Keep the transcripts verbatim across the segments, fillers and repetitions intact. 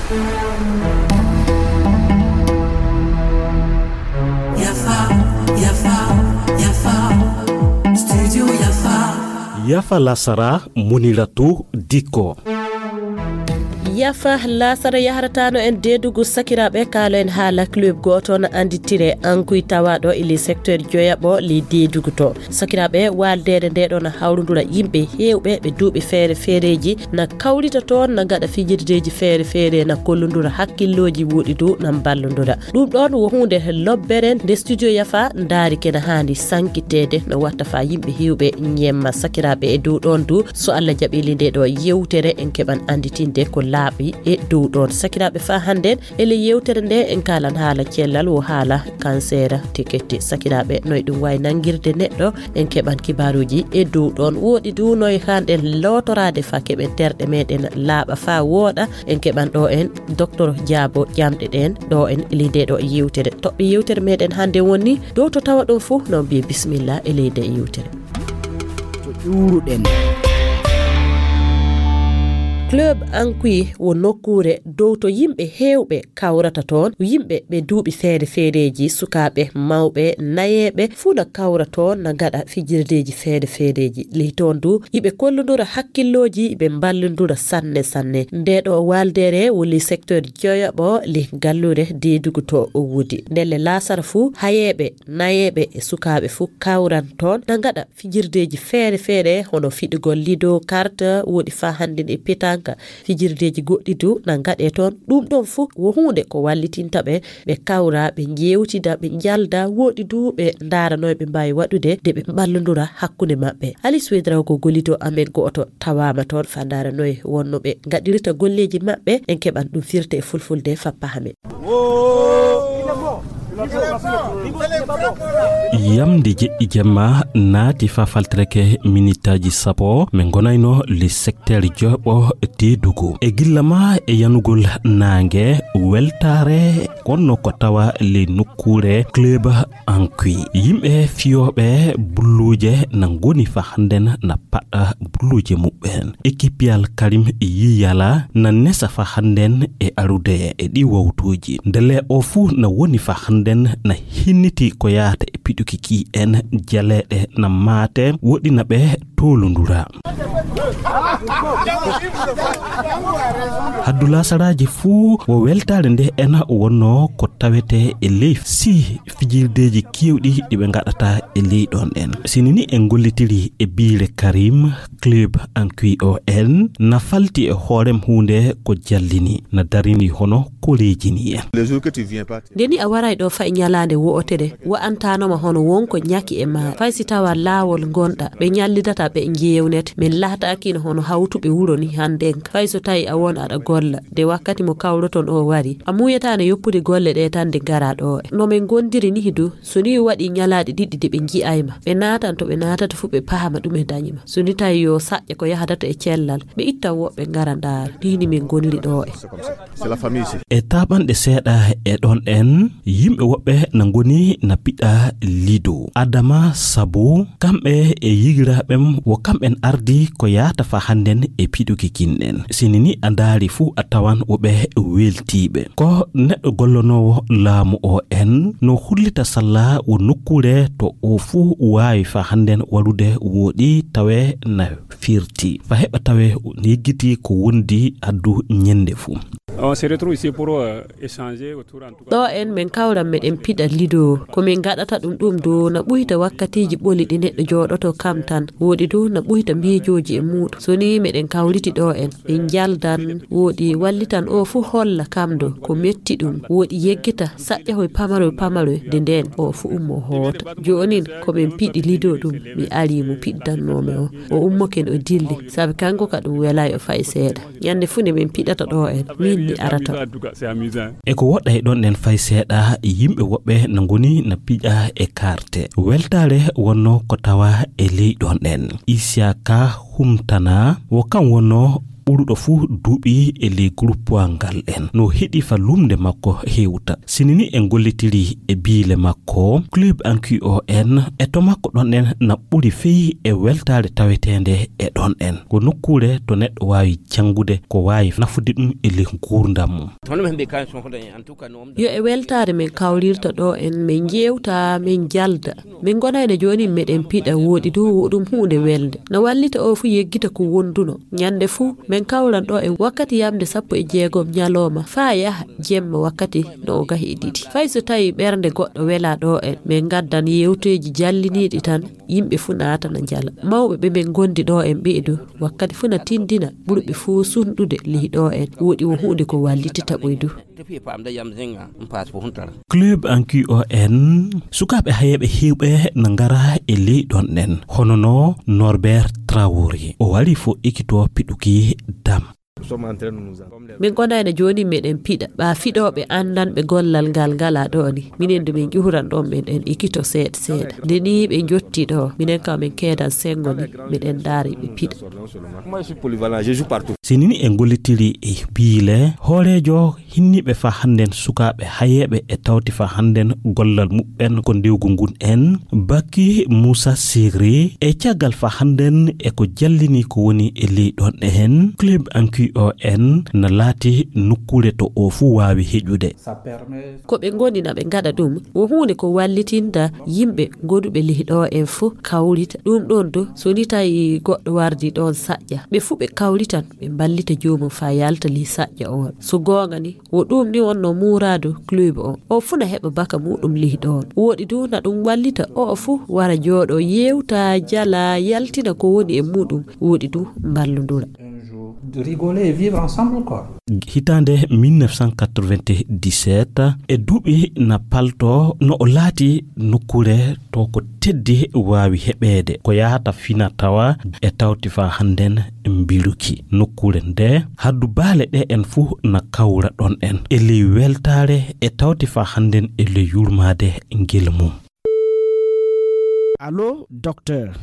Yafa, yafa, yafa. Studio yafa. Yafa lasara, Muniratu Diko. Yafa lasara yaharatano en deedugu sakiraaɓe, kaalo en haala club gooto no annditire Ankuy tawaaɗo e ley secteur joyaɓo ley deedugu to. Sakiraaɓe, waaldeere nde ɗo no hawrundura yimɓe heewɓe ɓe duuɓi feere feereeji, na kawrita toon, na ngaɗa fijirdeeji feere feere, na kollundura hakkillooji woɗɗi du, na mballundura. Ɗum ɗoon wo huunde lobbere nde studio yafa ndaari kena haandi sankiteede, no watta fa yimɓe heewɓe ñemma sakiraaɓe e dow ɗoon du. So Allah jaɓili nde ɗo yewtere, en keɓan annditinde ko laaɓi e dow ɗoon. Sakiraaɓe, fa hannden e ley yewtere nde, en kaalan haala cellal, wo haala cancer tiketi. Sakiraaɓe, noy ɗum wayi nangirde neɗɗo, en keɓan kibaaruuji e dow ɗoon. Woɗɗi du noy hannden lootoraade fa keɓen terɗe meɗen laaɓa fa wooɗa, en keɓan ɗo en Docteur Diabo ƴamɗe ɗen ɗo en e ley nde ɗo yewtere. Toɓɓe yewtere meɗen hannde woni dow to tawa ɗum fuu, no mbiye bisimilla e ley nde yewtere. To ƴuuruɗen. Club Ankuy wo nokkuure dow to yimɓe heewɓe kawrata toon, yimɓe ɓe duuɓi feere feereeji, sukaaɓe, mawɓe, nayeeɓe, fuu na kawra toon, na ngaɗa fijirdeeji feere feereeji. Ley toon du, iɓe kollundura hakkillooji, iɓe mballundura sanne sanne. Nde ɗo waaldeere wo ley secteur joyaɓo ley galluure deedugu to o woodi. Ndelle laasara fuu, hayeeɓe, nayeeɓe e sukaaɓe fuu kawran toon, na ngaɗa fijirdeeji feere feere, hono fiɗugol lido, carte, woɗi fa hannden e petanka. Fijirdeeji goɗɗi du na ngaɗe toon. Ɗum ɗoon fuu wo huunde ko wallitinta ɓe, ɓe kawra, ɓe njeewtida, ɓe njalda, woɗi du ɓe ndaara noy ɓe mbaawi waɗude de ɓe mballondura hakkunde maɓɓe. Alice Wedrao ko gollito amen gooto tawaama toon fa ndaara noy wonno ɓe ngaɗirta golleeji maɓɓe. En keɓan ɗum firte e fulfulde fa pahamen. Yamde jeɗɗi jemma naati fa faltireke minitaaji sappo, min ngonayno le secteur joɓo teedugu. E gilla ma e yanugol naange, weltaare wonno ko tawa le nokkuure club Ankuy. Yimɓe fiyooɓe bulluuje na ngoni fa hannden na paɗɗa bulluuje muɓɓen. Ekipiyal Karim Yiyala na nesa fa hannden e arude e ɗi wawtuuji. Ndele o fuu na woni fa hannden na hinniti ko yaata e piɗuki ki en jaleeɗe na maate woɗina ɓe toolundura. Haddu laasaraaji fuu wo weltaare nde en wonno ko tawete e ley si fijirdeeji keewɗi ɗi ɓe ngaɗata e ley ɗon en. Sini ni en gollitiri e biire Karim, club Ankuy o en na falti e hoorem huunde ko jallini, na darini hono koreejini en. Nde ni a waray ɗo fay ñalaande wo'otere, wa'antaanoma hono wonko ñaki e ma, fay si tawa laawol ngonɗa, ɓe ñallidata ɓe njeewnet, min laataakino hono hawtuɓe wuro ni hannden, fay so tawi a won aɗa golla, de wakkati mo kawroton o wari, a muuyataano yoppude golle ɗe tan de ngara ɗo. No min ngondiri ni du, so ni waɗi ñalaaɗe ɗiɗi de ɓe nji'ay ma, ɓe naatan to ɓe naatata fuu ɓe pahama ɗume dañi ma. So ni tawi yo saƴƴa ko yahadata e cellal, ɓe ittan woɓɓe ngara ndaara. Ni ni min ngoniri ɗo e. E taaɓanɗe seeɗa e ɗon en, yimɓe woɓɓe na ngoni na piɗa lido. Adama Sabu, kamɓe e yigiraaɓem wo kamɓen ardi ko yaata fa hannden e piɗuki kinɗen. Sini ni a ndaari fuu a tawan woɓɓe weltiiɓe. Ko neɗɗo gollonoowo laamu o en no hullita salla wo nokkuure to o fuu waawi fa hannden warude woɗi tawe na firti. Fa heɓa tawe yeggiti ko wondi addu ñende fuu. On se retrouve ici pour, euh, échanger autour, en tout cas. Ɗo en min kawran meɗen piɗa lido. Ko min ngaɗata ɗum ɗum du na ɓuyta wakkatiiji ɓoli ɗi neɗɗo jooɗoto kam tan. Woɗi du na ɓuyta miijooji e muuɗum. So ni meɗen kawriti ɗo en, min njaldan, woɗi wallitan o fuu holla kam do ko metti ɗum. Woɗi yeggita saƴƴahoy pamaroy pamaroy de ndeen o fuu ummo hoota. Joonin ko min piɗi lido ɗum, mi ari mo piɗdannoomi o. O ummoke o dilli, sabi kanko ka ɗum welay o fay seeɗa. Ñande fuu nde min piɗata ɗo en, min mi arata. E ko woɗɗay ɗon ɗen fay seeɗa, yimɓe woɓɓe na ngoni na piƴa e karte. Weltaare wonno ko tawa e ley ɗon ɗen. Isiaka Humtana, wo kam wonno ɓuruɗo fuu duuɓi e ley groupe ngal en. No heɗi fa lumnde makko hewta. Sinini en gollitiri e biile makko, Club N Q O N, e to makko ɗon en na ɓuri fey e weltaare taweteende e ɗon en. Ko nokkuure to neɗɗo waawi janngude ko waawi nafude ɗum e ley nguurndam mum. Yo e weltaare men kawrirta ɗo en, men njeewta, men njalda. Min ngonayno jooni meɗen piɗa, wooɗi du wo ɗum huunde welnde. No wallita o fuu yeggita ko wonduno. Ñande fuu, men kawran ɗo en wakkati yamde sappo e jeegom ñalooma, faa yaha jemma wakkati no o gahi e ɗiɗi. Fay so tawi ɓernde goɗɗo wela ɗo en, men ngaddan yewteeji jalliniiɗi tan, yimɓe fuu naata na njala. Mawɓe ɓe men ngondi ɗo en ɓee du, wakkati fuu na tindina, ɓurɓe fuu sunɗude lihi ɗo en. Wooɗi wo huunde ko wallitita ɓoy du. Club N Q O N, sukaaɓe hayeeɓe heewɓe na ngara e ley ɗon en, hono no Norbert Traoré. O wari fo ekito piɗuki dam. Min ngonayno jooni meɗen piɗa. Ɓa fiɗooɓe anndanɓe gollal ngal ngala ɗo ni. Minen du min ƴuhuran ɗon men en ekito seeɗa seeɗa. Nde ni ɓe njotti ɗo, minen kam min keedan senngo ni, meɗen ndaari ɓe piɗa. Sinini en gollitiri e biile, hooreejo hinniiɓe faa hannden sukaaɓe hayeeɓe e tawti faa hannden gollal muɓɓen ko ndewgu ngun en, Baki Muusa Sigri, e caggal faa hannden e ko jallini ko woni e ley ɗon en, Club N Q O N na laati nokkuure to o fuu waawi heƴude. Ko ɓe ngoni na ɓe ngaɗa ɗum, wo huunde ko wallitinta yimɓe goduɓe lihi ɗo en fuu kawrita. Ɗum ɗon du, so ni tawi goɗɗo wardi ɗon saƴƴa, ɓe fuu ɓe kawritan, ɓe mballita joomum faa yalta lihi saƴƴa on. So goonga ni, wo ɗum ni wonno muuraadu club on. O fuu na heɓa baka muɗum lihi ɗon. Wooɗi du na ɗum wallita o fuu wara jooɗo, yewta, jala, yaltina ko woni e muɗum. Wooɗi du mballundura. Rigoler et vivre ensemble, quoi. Hitaande mille neuf cent quatre-vingt-dix-sept, e duuɓi na palto no o laati nokkuure to ko teddi waawi heɓeede, ko yahata fina tawa e tawti faa hannden mbiluki. Nokkuure nde haddu baale ɗe en fuu na kawra ɗon en e ley weltaare e tawti faa hannden e ley yurmaade ngel mum. Allo, docteur.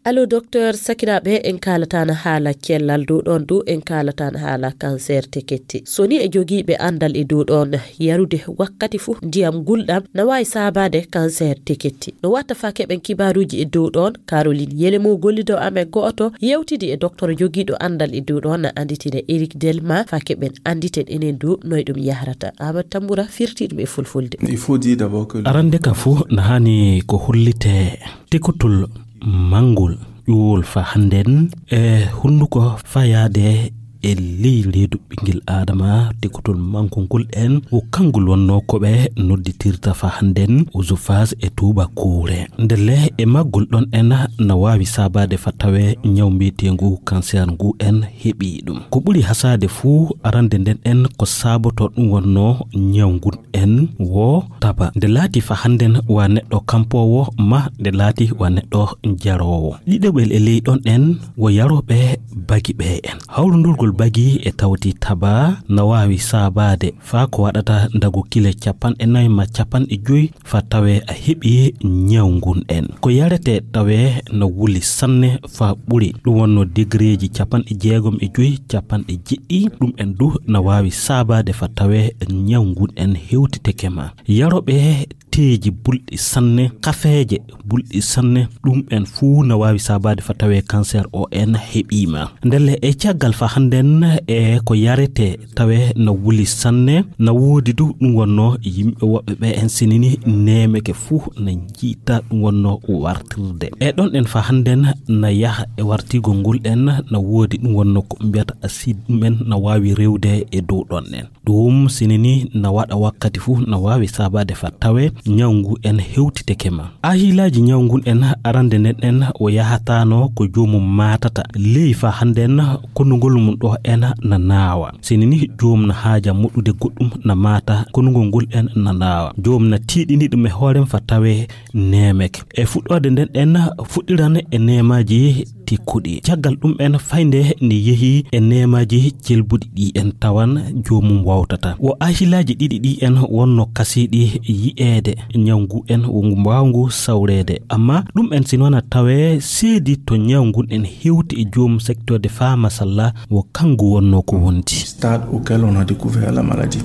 Allo, docteur, sakiraaɓe, en kaalataana haala cellal dow ɗon du, en kaalataana haala cancer teketti. So ni e jogiiɓe anndal e dow ɗon, yarude wakkati fuu ndiyam gulɗam na waawi saabaade cancer teketti. No watta faa keɓen kibaaruuji e dow ɗon, Caroline Yelemo gollido amen go'oto yewtidi e docteur jogiiɗo anndal e dow ɗon na annditine Eric Delma faa keɓen annditen enen du noy ɗum yahrata. Amadou Tambura firti ɗum e fulfulde. Il faut dire d'abord que Arande ka fuu na haani ko hollite tekotol manngol ƴuwol faa hannden e hunnduko fayaade e ley reedu ɓinngel Aadama, tekotol manngol ngol en wo kanngol wonnoo ko ɓe nodditirta faa hannden oesophage e tuubakoore. Ndelle e maggol ɗon en na waawi saabaade faa tawee ñaw mbiyeteengu cancer ngu en heɓii ɗum. Ko ɓuri hasaade fuu arande nden en ko saabotoo ɗum wonnoo ñaw ngun en wo taba. Nde laati faa hannden wa neɗɗo kampoowo ma nde laati wa neɗɗo jaroowo. Ɗiɗaɓel e ley ɗon en wo yarooɓe bagi ɓe en. Hawrundurgol bagi e tawti taba na waawi saabaade faa ko waɗata ndago kile capanɗe nayi ma capanɗe joyi faa tawee a heɓii ñaw ngun en. Ko yaretee tawee na wuli sanne faa ɓuri. Ɗum wonnoo degereeji capanɗe jeegom e joyi, capanɗe jeɗɗi. Ɗum en du na waawi saabaade faa tawee ñaw ngun en hewtiteke ma. Yarooɓe teeji bulɗi sanne, kafeeje bulɗi sanne, ɗum en fuu na waawi saabaade faa tawee cancer o en heɓii ma. Ndelle e caggal faa hannden e ko yaretee tawee na wuli sanne, na woodi du ɗum wonnoo yimɓe woɓɓe ɓe en sinini neemeke fuu na njiita ɗum wonnoo wartirde. E ɗon en faa hannden na yaha e wartigol ngol en na woodi ɗum wonnoo ko mbiyata acide ɗum en na waawi rewde e dow ɗon en. Ɗum sinini na waɗa wakkati fuu na waawi saabaade faa tawee ñaw ngu en hewtiteke ma. Ahilaaji ñaw ngun en arande nden en o yahataano ko joomum maatata. Ley faa hannden konnugol mum ɗo en na naawa. Sinini joomum na haaja moɗude goɗɗum na maata konnugol ngol en na naawa. Joomum na tiiɗini ɗum e hoorem faa tawee neemeke. E fuɗɗoode nden en fuɗɗiran e neemaaji tekkuɗi. Caggal ɗum en faynde ni yehi e neemaaji celbuɗi ɗi en tawan joomum wawtata. Wo ahilaaji ɗiɗi ɗi en wonno kasiiɗi yi'eede. Ñawngu en wo ngu mbaawngu sawreede, amma ɗum en si noon a tawee seedi to ñawngu en hewti e joom secteur de faa masalla wo kanngu wonnoo ko wondi. Stade auquel on a découvert la maladie.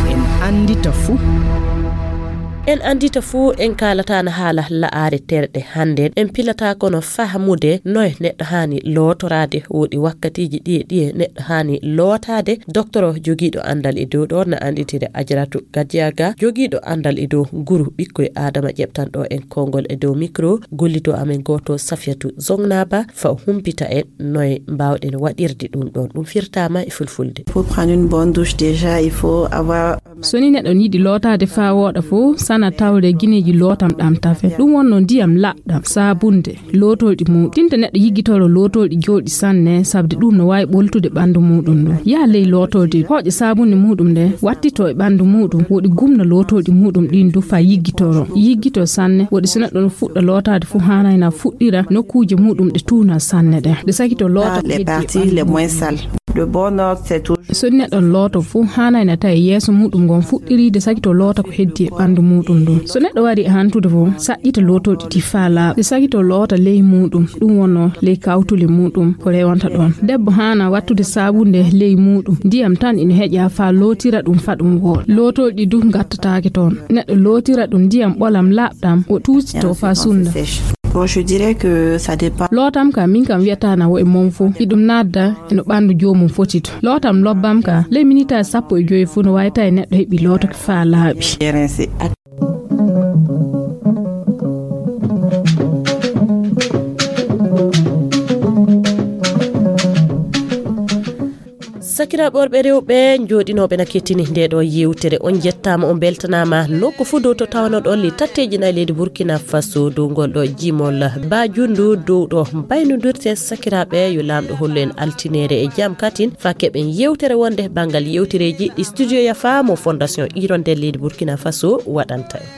En anndita fuu. En anndita fuu, en kaalataana haala la'aare terɗe hannde. En pilata kono fahmude noye neɗɗo haani lootoraade woɗi wakkatiiji ɗiye ɗiye neɗɗo haani lootaade. Doktoro jogiiɗo anndal e dow ɗo na annditiri Ajaratu Gadiaga, jogiiɗo anndal e dow nguru ɓikkoy Aadama ƴeɓtan ɗo en konngol e dow mikro, gollito amen gooto Safiyatu Zongnaba, fa o humpita en noye mbaawɗen waɗirde ɗum ɗon. Ɗum firtaama e fulfulde. Faut prendre une bonne douche déjà, il faut avoir. So ni neɗɗo yiɗi lootaade faa wooɗa fof, sana tawde gineeji lootam ɗam tafe. Ɗum wonno ndiyam laɓɗam, saabunde, lootolɗi muɗum. Tinta neɗɗo yiggitoro lootolɗi jooɗi sanne, sabde ɗum no waawi ɓoltude ɓanndu muɗum ndu. Yaha ley lootolɗi, hooƴa saabunde muɗum nde, wattito e ɓanndu muɗum, woɗi gumna lootolɗi muɗum ɗin du faa yiggitoro. Yiggito sanne, woɗi so neɗɗo no fuɗɗa lootaade fof, haanayna fuɗɗira nokkuuje muɗum ɗe tuuna sanne ɗen. Nde sakito loota ko heddi e ɓanndu muɗum. De bon ordre, c'est toujours. So neɗɗo looto fof, haanayna tawi yeeso muɗum ngon fuɗɗiriide sakito loota ko heddi e ɓanndu muɗum ndun. So neɗɗo wari e hantude fof, saɗɗita lootolɗi ɗi faa laaɓa. Nde sakito loota ley muɗum, ɗum wonno ley kawtuli muɗum ko rewanta ɗon. Debbo haana wattude saabunde ley muɗum, ndiyam tan ina heƴa faa lootira ɗum faa ɗum wooɗa. Lootolɗi du ngattataake toon. Neɗɗo lootira ɗum ndiyam ɓolam laaɓɗam, o tuusito faa sunnda. Bon, je dirais que ça dépend. Lootam ka min kam wiyata na wo e mon fof. Iɗum naatda e no ɓanndu joomum foti to. Lootam lobbam ka, ley minitaaji sappo e joy fof no waawi tawi neɗɗo heɓi looto ko faa laaɓi. Sakiraaɓe worɓe rewɓe jooɗinooɓe na kettini nde ɗo yewtere, on njettaama, on mbeltanaama. Nokku fof dow to tawanoɗon le tatteeji nayi leydi Burkina Faso dow ngol ɗo jimol ba junndu dow ɗo mbaynodirte. Sakiraaɓe, yo Laamɗo hollu en altineere e jam katin faa keɓen yewtere wonde banngal yewtereeji ɗi Studio Yafa mo Fondation Hirondelle leydi Burkina Faso waɗanta en.